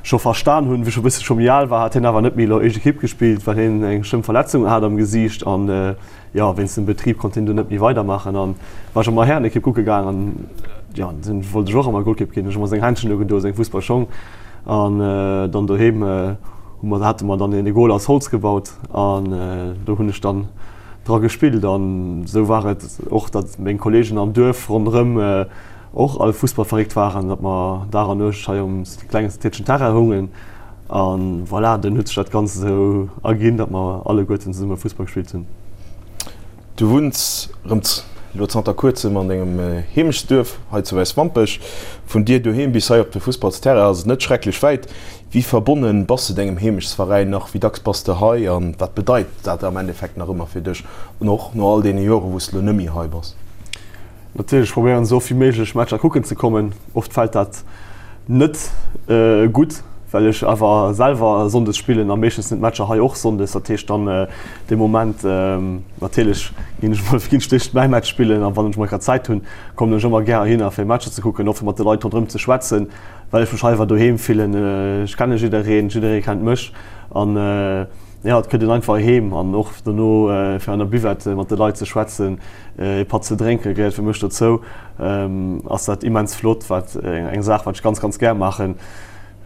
scho verstan hunn, wou ech e bësse scho méi al war, hat hien awer net méi elo éischt Ekipp gespillt, well hien eng schlëmm Verletzung hat am Gesiicht an jo, wéinst dem Betrib konnt hien dunn net méi weidermaachen an war ech ëmmer Härenekipp kucke gaang an jo, dunn wollt ech och ëmmer Golkipp ginn. Ech hu mer seng Händschen ugedoen, seng Fussballschong An dann doheem hu mer, hate mer dann een Goal aus Holz gebaut an do hunn ech dann dra gespillt. An esou war et och, datt meng Kolleegen am Duerf ronderëm och all fussballverréckt waren, datt mer Dag an Nuecht hei um klengen Tiertchen Terrain houngen. A voilà, dunn huet sech dat Ganzt esou erginn, datt mer alleguerten zesumme Fussball gespillt hunn. Du wunns rëm elo zanter kuerzem an dengem Heemechtsduerf hei zu Wäiswampech. Vun dir doheem bis hei op de Fussballsterrain ass et net schrecklech wäit. Wéi verbonnen bass de dengem Heemechtsveräin nach? Wéi dacks bass de hei an wat bedeit dat am Endeffekt nach ëmmer fir dech, och no all deene Joren, wou s de elo net méi hei bass? Natierlech probéieren esou oft wéi méiglech Matcher kucken ze kommen. Oft fält dat net gutt, well ech awer selwer sonndes spillen a meeschtens sinn d'Matcher hei och sonndes. Dat heescht dann dee Moment natierlech ginn ech mol ginn ech d'éischt mäi Match spillen a wann ech mol grad Zäit hunn, kommen ech ëmmer gär heihinner fir Matcher ze kucken, och fir mat de Leit ronderëm ze schwätzen, well ech mech hei awer doheem fillen. Ech kenne jiddereen, jidderee kennt mech an jo, et kënnt een einfach heem an och dono fir an der Buvette mat de Leit ze schwätzen. Ee Patt ze drénke gehéiert fir mech dozou. Ass dat immens flott, wat eng Saach wat ech ganz ganz gär maachen.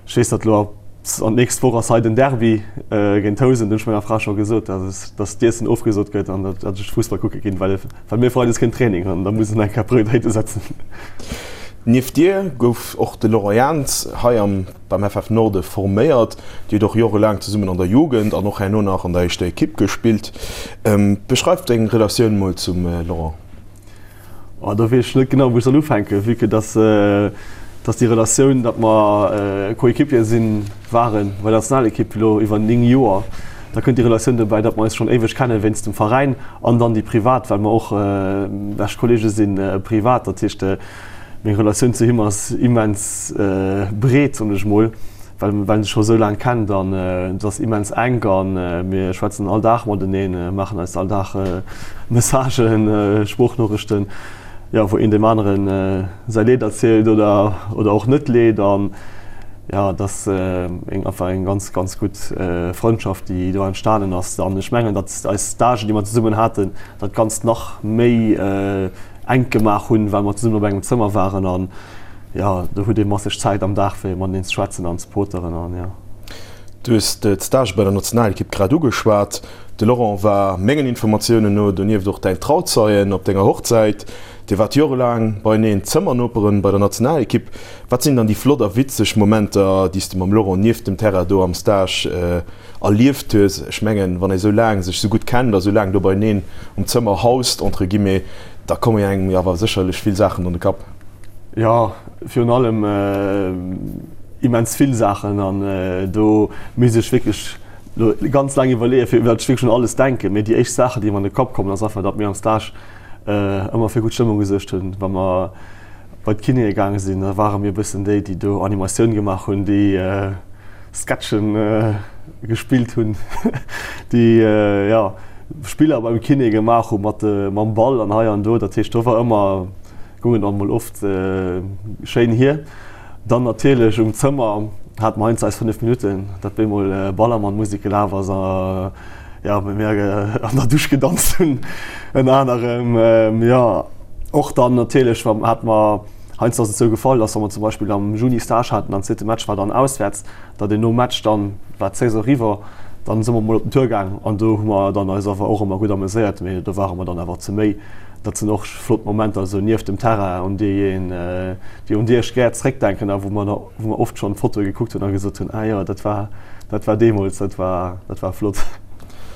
Ech weess datt elo an d'nächst Woch ass hei den Derby géint Housen, do hunn ech menger Fra scho gesot, datt d'Iessen ofgesot gëtt an datt ech Fussball kucke ginn, well well mir freides keen Training hunn an da muss een eng Kéier Prioritéite setzen. Nieft dir gouf och de Laurent Jans hei am beim FF Norde forméiert. Dir hutt och jorelaang zesummen an der Jugend an och herno nach an der éischter Ekipp gespillt. Beschreif deng Relatioun mol zum Laurent. Oh, do weess ech net genau, wou ech soll ufänken, vue que dass, dass déi Relatioun, datt mer Coéquipier sinn, waren bei der Nationalekipp elo iwwer 9 Joer. Da kënnt déi Relatioun dobäi, datt mer eis schonn éiweg kennen wéinst dem Veräin an dann déi privat, well mer och bescht Kollege sinn privat. Dat heescht, meng Relatioun zu him ass immens breet, soen ech mol, well well en sech scho sou laang kennt an et ass immens enk a mir schwätzen all Dag mateneen, maachen eis all Dag Messagen, Sproochnorichten, jo, wou een deem aneren säi Leed erzielt oder oder och net Leed an jo, et ass eng einfach eng ganz, ganz gutt Frëndschaft, déi do entstanen ass an ech mengen, datt eis Stagen, déi mer zesummen haten, dat Ganzt nach méi enk gemaach hunn, well mer zesummen op engem Zëmmer waren an jo, do huet ee masseg Zäit am Dag fir mateneen ze schwätzen an ze poteren an jo. Du hues d'Stage bei der Nationalekipp grad ugeschwat. De Laurent war mengen Informatiounen no donieft och däin Trauzeien op denger Hochzäit. Dir waart jorelaang beieneen Zëmmernoperen bei der Nationalekipp. Wat sinn dann déi flott a witzeg Momenter, déi s de mam Laurent nieft dem Terrain do am Stage erlieft hues? Ech mengen, wann ee sou laang sech sou gutt kennt a sou laang do beieneen um Zëmmer haust, entre guillemets, da komme engem jo awer sécherlech vill Saachen an de Kapp. Jo, virun allem immens vill Saachen an do misst ech wierklech lo ganz laang iwwerleeën, fir wat ech wierklech un alles denken. Mee déi éischt Saachen, déi mer an de Kapp kommen, ass einfach, datt mir am Stage ëmmer fir gutt Stëmmung gesuergt hunn. Wa mer bei d'Kinéë gaange sinn, da ware mir e bëssen déi, déi do Animatioun gemaach hunn, déi Sketchen gespillt hunn, déi jo Spiller beim Kiné gemaach hu mat mam Ball an hei an do. Dat heescht, do war ëmmer, goung et emol oft schéin hier. Dann natierlech um Zëmmer hate mer heiansdo eis 5 Minutten, datt bemol Ballermann-Musek gelaf ass a jo, mir an der Dusch gedanzt hunn ënner anerem. Jo, och dann natierlech hate mer, heiansdo ass et sou gefall, datt wa mer zum Beispill am Juni Stage haten an zweete Match war dann auswäerts, datt een nom Match dann war d'Saison eriwwer, dann si mer mol op den Tour gaang an do hu mer dann eis awer och ëmmer gutt ameséiert, mee do ware mer dann awer ze méi. Dat sinn och flott Momenter esou nieft dem Terrain, un déi een, déi un déi ech gär zréckdenken a wou mer wou mer oft schonn Fotoe gekuckt hunn a gesot hunn, ah jo, dat war dat war deemools, dat war dat war flott.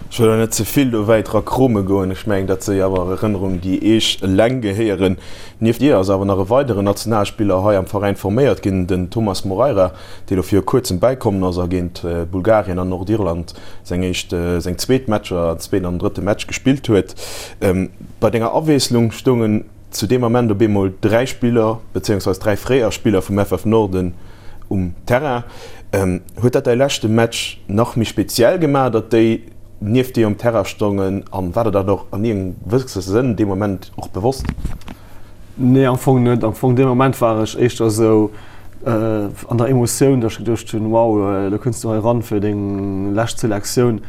Ech wëll och net ze vill do wäit ra krome goen. Ech mengen, dat si awer Erënnerungen, déi Iech eleng gehéieren. Nieft dir ass awer nach e weideren Nationalspiller hei am Veräin forméiert ginn, den Thomas Moreira, dee lo viru kuerzem bäikommen ass a géint Bulgarien an Nordirland seng éischt, seng zweet Matcher, zweeten an drëtte Match gespillt huet. Bei denger Awiesslung stoungen zu deem Ament op eemol 3 Spiller, bezéiungsweis 3 fréier Spiller vum FF Norden um Terrain. Huet dat däi leschte Match nach méi speziell gemaach, datt déi nieft dir um Terrain stoungen an war der dat och an iergendengem gewësse Sënn dee Moment och bewosst? Nee, am Fong net. Am Fong dee Moment war ech éischter esou an der Emotioun, datt ech geduecht hunn, wow, elo kënns du hei eran fir deng lescht Selektioun.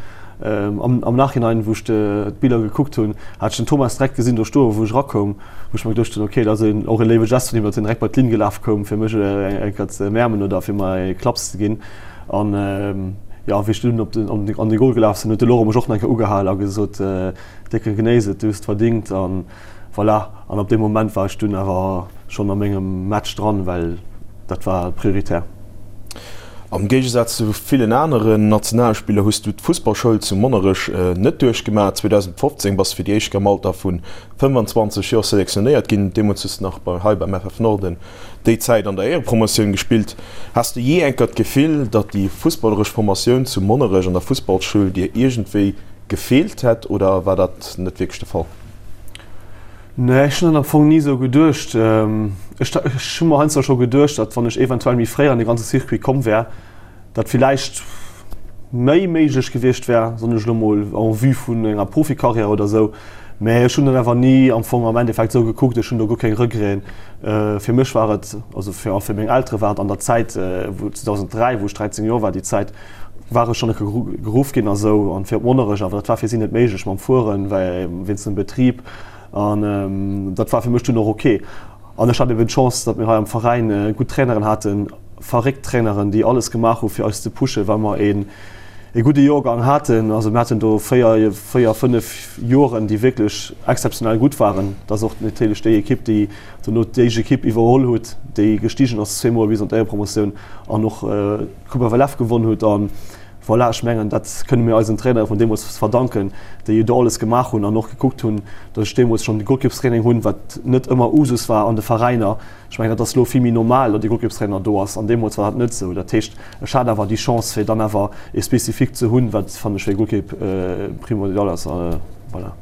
Am, am Nachhinein, wou ech d'Biller gekuckt hunn, hat ech den Thomas direkt gesinn do stoen, wou ech erakoum, wou ech mer geduecht hunn, okay, dat ass een, och e léiwe Gest vun him, datt hien direkt bei d'Linn gelaf koum, fir mech eng Kéier ze ëmäermen oder fir mer e Klapps ze ginn. An jo, wéi ech dunn op den, an de Goal gelaf sinn, huet de Laurent mech och nach eng Kéier ugehal a gesot, Décke genéiss et, du hues et verdingt. An voilà, an ab deem Moment war ech dunn awer schonn a mengem Match dran, well dat war prioritär. Am Géigesaz zu villen aneren Nationalspiller hues du d'Fussballschoul zu Monnerech net duerchgemaach. 2015 bass du fir déi éischt Kéier am Alter vu 25 Joer selektionéiert ginn. Deemools hues du nach bei hei beim FF Norden déi Zäit an der Éierepromotioun gespillt. Has du jee eng Kéier d'Gefill, datt déi fussballeresch Formatioun zu Monnerech an der Fussballschoul dir iergendwéi gefeelt hätt oder war dat net wierklech de Fall? Nee, ech hunn dat am Fong ni esou geduecht. Ech hu mer heiansdo scho geduecht, datt wann ech eventuell méi fréi an de ganze Circuit komm wär, datt villäicht méi méiglech gewiescht wär, soen ech elo mol, en vue vun enger Profikarriär oder esou. Mä ech hunn dat awer ni am Fong am Endeffekt esou gekuckt. Ech hunn do guer keng Regreten. Fir mech war et, also fir a fir meng Eltere war et an der Zäit, wou 2003, wou ech 13 Joer war, déi Zäit, war ech schonn e geruff ginn a sou an fir op Monnerech, awer dat war fir si net méiglech mam Fueren, well wéinst dem Betrib an dat war fir mech dunn och ok. An ech hat eben d'Chance, datt mir hei am Veräin gutt Traineren haten, verréckt Traineren, déi alles gemaach hu fir eis ze pushen, well mer een e gudde Joergang haten. Also mir haten do 4, 4, 5 Joren, déi wierklech exzeptionell gutt waren. Dat ass och natierlech déi Ekipp, déi dono d'éischt Ekipp iwwerholl huet, déi gestigen ass zweemol bis an d'Éierepromotioun an och, D'Coupe FLF gewonn hutt an. Voilà, ech mengen, dat kënne mir eisen Trainere vun deemools verdanken, déi jo do alles gemaach hunn an och gekuckt hunn, datt ech deemools schonn de Golkippstraining hunn, wat net ëmmer Usus war an de Veräiner. Ech mengen, dat ass elo vill méi normal, datt ee Golkippstrainer do ass an deemools war dat net esou. Dat heescht, ech hat awer déi Chance, fir dann awer ee Spécifique ze hunn, wat, fannen ech, fir ee Golkipp primordial ass. Voilà.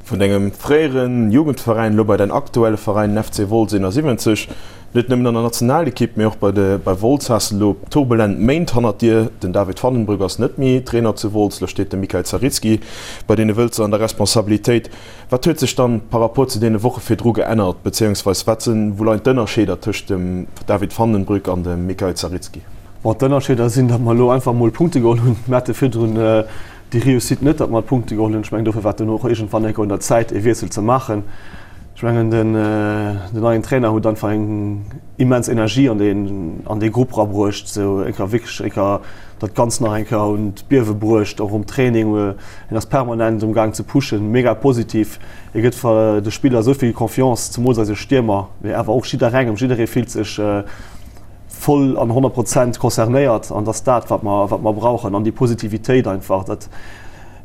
Vun dengem fréiere Jugendveräin elo bei däin aktuelle Veräin, den FC Wolz 71. Net nëmmen an der Nationalekipp, mee och bei de bei Wolz has de elo turbulent Méint hannert dir. Den David Vandenbroeck ass net méi Trainer zu Wolz, elo steet de Mikael Zaritski bei deene Wëlzer an der Responsabilitéit. Wat huet sech dann par rapport zu deene Woche virdru geännert, bezéiungsweis wat sinn, wou leien d'Ënnerscheeder tëscht dem David Vandenbroeck an dem Mikael Zaritski? Bon, d'Ënnerscheeder sinn, datt mer elo einfach mol Punkte geholl hunn. Mir hate virdrun déi Réussite net, datt mer Punkte geholl hunn. Ech mengen, dofir war et dunn och iergendwann enker un der Zäit, e Wiessel ze maachen. Ech mengen, den neien Trainer huet einfach eng immens Energie an deen, an dee Grupp rabruecht, esou enker wierklech enker dat Ganzt nach eng Kéier un d'Biewe bruecht, och um Training. Hien ass permanent um Gaang ze pushen, mega positiv. Hie gëtt de Spiller esou vill Confiance, zemools eise Stiermer, mee awer och jidderengem. Jidderee fillt sech voll an 100 Prozent concernéiert an dass dat wat mer wat mer brauchen an déi Positivitéit einfach dat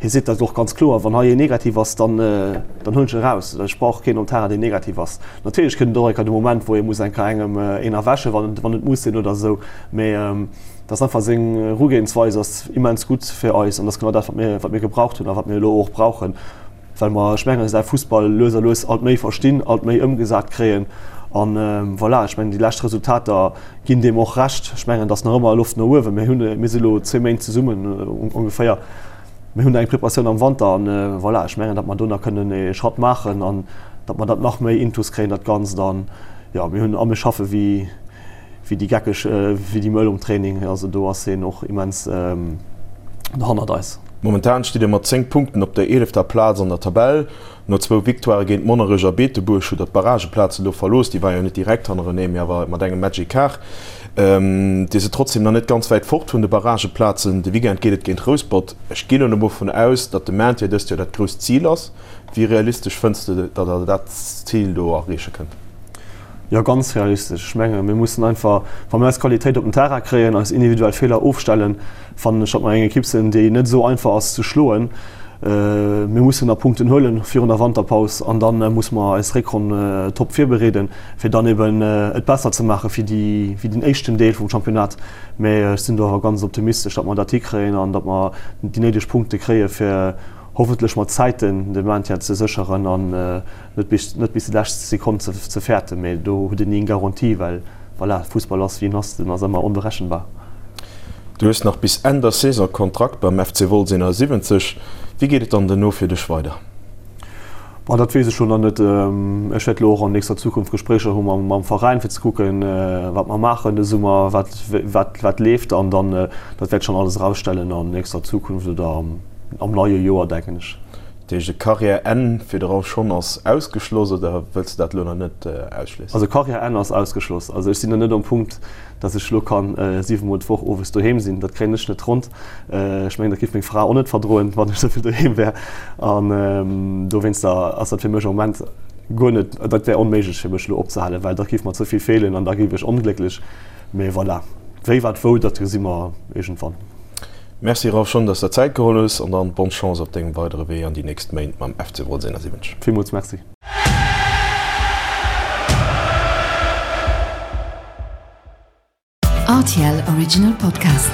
hie seet dat och ganz kloer, wann hei een negativ ass, dann dann huelen ech e raus. Ech brauch keen um Terrain deen negativ ass. Natierlech kënnt et och eng Kéier de Moment wou ee muss eng Kéier engem een erwächen, wann wann et muss sinn oder esou, mee dat ass einfach seng Erugehensweis ass immens gutt fir eis an dat ass genau dat wat mir wat mir gebraucht hunn a wat mir elo och brauchen. Well mer, ech mengen, säi Fussball lues a lues alt méi verstinn, alt méi ëmgesat kréien. An voilà, ech mengen, déi lescht Resultater ginn deem och Recht. Ech mengen, et ass nach ëmmer Loft no uewen. Mir hunn, mir si lo zwee Méint zesummen ongeféier. Mir hunn eng Preparatioun am Wanter an voilà, ech mengen, datt mer do nach kënnen ee Schratt maachen an datt mer dat nach méi intus kréien, dat Ganzt. An jo, mir hunn a mir schaffe wéi, wéi déi Geckeg, wéi déi Mëll um Training. Also do ass hien och immens hannert eis. Momentan stitt Dir mat 10 Punkten op der eelefter Plaz an der Tabell. No zwou Victoirë géint Monnerech a Beetebuerg hutt der d'Barrageplazen elo verlooss. Déi waren jo net direkt hannerenee, mee awer mat engem Match Ecart. Dir sidd trotzdeem nach net ganz wäit fort vun de Barrageplazen. De Weekend geet et géint Rouspert. Ech ginn elo mol vun aus, datt de Maintien dëst Joer dat grousst Zil ass. Wéi realistesch fënns de, datt der dat Zil do erreeche kënnt? Jo, ganz realistesch. Ech menge mir mussen einfach, wa mir eis Qualitéit op den Terrain kréien, eis individuell Feeler ofstellen, fannen ech, datt mer eng Ekipp sinn, déi net esou einfach ass ze schloen. Mir mussen nach Punkten huelen virun der Wanterpaus an da musse mer eis Réckronn top virbereeden, fir dann eben et besser ze maache wéi déi, wéi den éischten Deel vum Championnat. Mä ech sinn do awer ganz optimistesch, datt mer dat hikréien an datt mer déi néideg Punkte kréie fir hoffentlech mat Zäiten de Maintien ze sécheren an net bis net bis déi lescht Sekonn ze ze fäerten. Mee do huet een ni eng Garantie, well voilà, Fussball ass wéi en ass, den ass ëmmer onberechenbar. Du hues nach bis Enn der Saison Kontrakt beim FC Wolz 71. Wéi geet et dann duerno fir dech weider? Bon, dat weess ech lo nach net. Ech wäert lo och an nächster Zukunft Gespréicher hu mam mam Veräin, fir ze kucken, wat mer maachen de Summer, wat wat wat leeft an dann, dat wäert schonn alles erausstellen an nächster Zukunft oder am Am neie Joer, denken ech. Dat heescht e Carrière-Enn fir de Ralph Schon ass ausgeschloss oder wëlls de dat elo nach net ausschléissen? Also Carrière-Enn ass ausgeschloss. Also ech sinn nach net um Punkt, datt ech elo kann 7 mol d'Woch owes doheem sinn. Dat kréien ech net ronnt. Ech mengen, dat géif meng Fra och net verdroen, wann ech esou vill doheem wär. An dowéinster ass dat fir mech am Moment guer net, dat wär onméiglech fir mech elo opzehalen, well da géif mer ze vill feelen an da géif ech onglécklech. Mee voilà, wéi, wat, wou, dat gesi mer iergendwann. Merci Ralph, schonn dass der Zäit geholl hues an dann bonne Chance op dengem weidere Wee an déi nächst Méint mam FC Wolz 71. Villmools Merci. Rtl Original Podcast.